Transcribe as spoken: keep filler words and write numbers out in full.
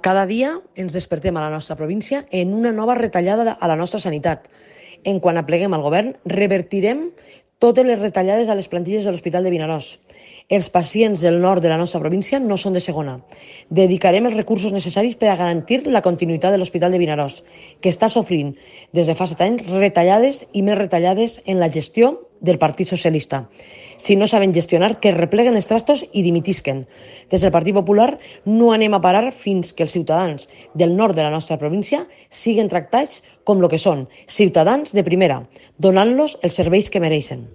Cada dia ens despertem a la nostra província en una nova retallada a la nostra sanitat. En quan apleguem al govern, revertirem totes les retallades a les plantilles de l'Hospital de Vinaròs. Els pacients del nord de la nostra província no són de segona. Dedicarem els recursos necessaris per a garantir la continuïtat de l'Hospital de Vinaròs, que està sofrint des de fa set anys retallades i més retallades en la gestió del Partit Socialista. Si no saben gestionar, que repleguen els trastos i dimitisquen. Des del Partit Popular no anem a parar fins que els ciutadans del nord de la nostra província siguin tractats com el que són, ciutadans de primera, donant-los els serveis que mereixen.